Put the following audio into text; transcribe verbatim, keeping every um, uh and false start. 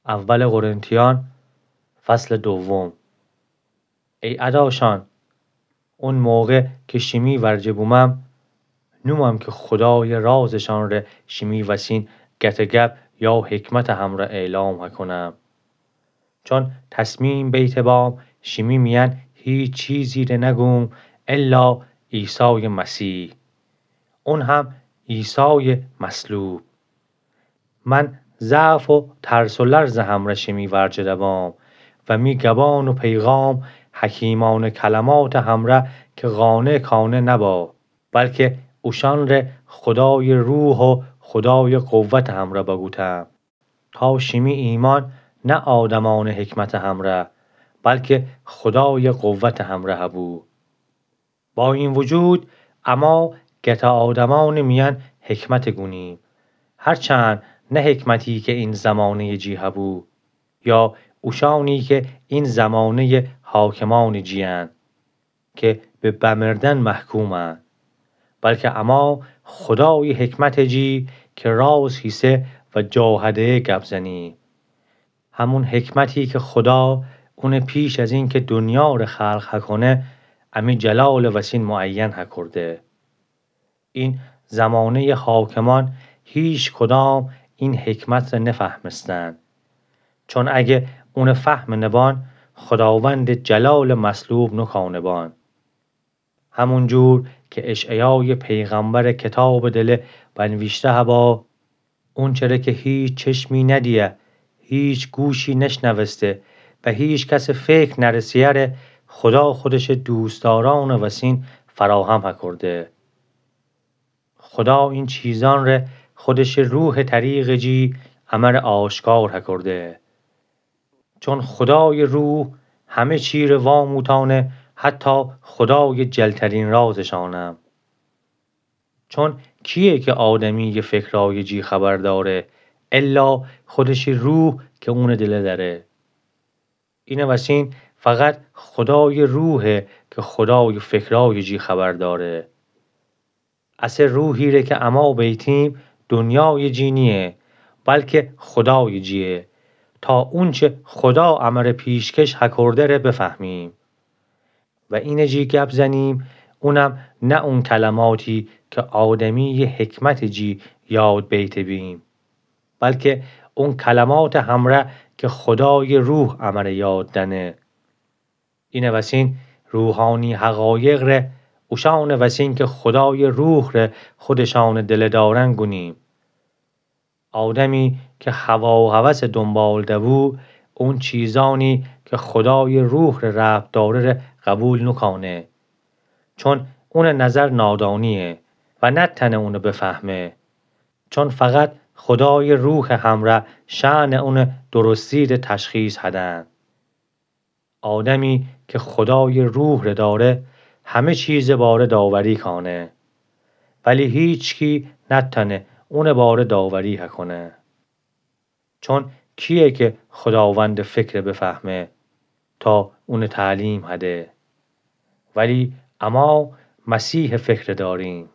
اول قرنتیان، فصل دوم. ای اداشان، اون موقع که شیمی ورجه بومم، نومم که خدای رازشان ره شیمی وسین گته گپ یا حکمت همره اعلام هکونم. چون تصمیم بیته بام شیمی میأن هیچ چیزی ره نگوم الا عیسای مسیح، اون هم عیسای مصلوب. من ضعف و ترس و لرز همره شیمی ورجه دبام و می گبان و پیغام حکیمانه کلمات همره که قانع کانه نبا، بلکه اوشان ره خدای روح و خدای قوت همره بگوتم، تا شیمی ایمان نه آدمانه حکمت همره، بلکه خدای قوت همره هبو. با این وجود، اما گته آدمانه میأن حکمت گونیم، هرچند نه حکمتی که این زمانهٔ جی هبو، یا اوشانی که این زمانهٔ حاکمان جی‌ان که به بمردن محکومن، بلکه اما خدای حکمت جی که راز هیسه و جا هده گپ زنیم. همون حکمتی که خدا اونه پیش از این که دنیا ره خلق هکونه، امی جلال وسین معین هکرده. این زمانهٔ حاکمان هیچ کدام این حکمت ره نفهمستن. چون اگه اونه فهم نبان، خداوند جلال مصلوب نکانه بان. همون جور که اشعیای پیغمبر کتاب دله بنویشته هبا، اونچره که هیچ چشمی ندیه، هیچ گوشی نشنوسته و هیچ کس فکر نرسیه ره، خدا خودش دوستداران وسین فراهم هکرده. خدا این چیزان ره خودش روح طریق جی امر آشکار هکرده. چون خدای روح همه چی ره واموتانه، حتی خدای جلترین رازشانم. چون کیه که آدمی یه فکرای جی خبر داره، الا خودش روح که اونه دله داره؟ اینه وسین فقط خدای روحه که خدای فکرای جی خبر داره. اسه روحی ره که اما بیتیم دنیای جی نیه، بلکه خدای جیه، تا اونچه خدا امر پیشکش هکرده ره بفهمیم. و اینه جی گپ زنیم، اونم نه اون کلماتی که آدمی حکمت جی یاد بیته بیم، بلکه اون کلمات همره که خدای روح امر یاد دنه. اینه وسین روحانی حقایق ره، اوشان وسین که خدای روح ره خودشان دله دارن گونیم. آدمی که هوا و هوس دنبال دبو، اون چیزانی که خدای روح ره ربط داره ره قبول نکانه. چون اون نظر نادانیه و نتنه اون بفهمه. چون فقط خدای روح همره شأن اون درستی ره تشخیص هدن. آدمی که خدای روح ره داره، همه چیز باره داوری کانه، ولی هیچکی نتنه اون باره داوری هکونه. چون کیه که خداوند فکر بفهمه تا اون تعلیم هده؟ ولی اما مسیح فکر داریم.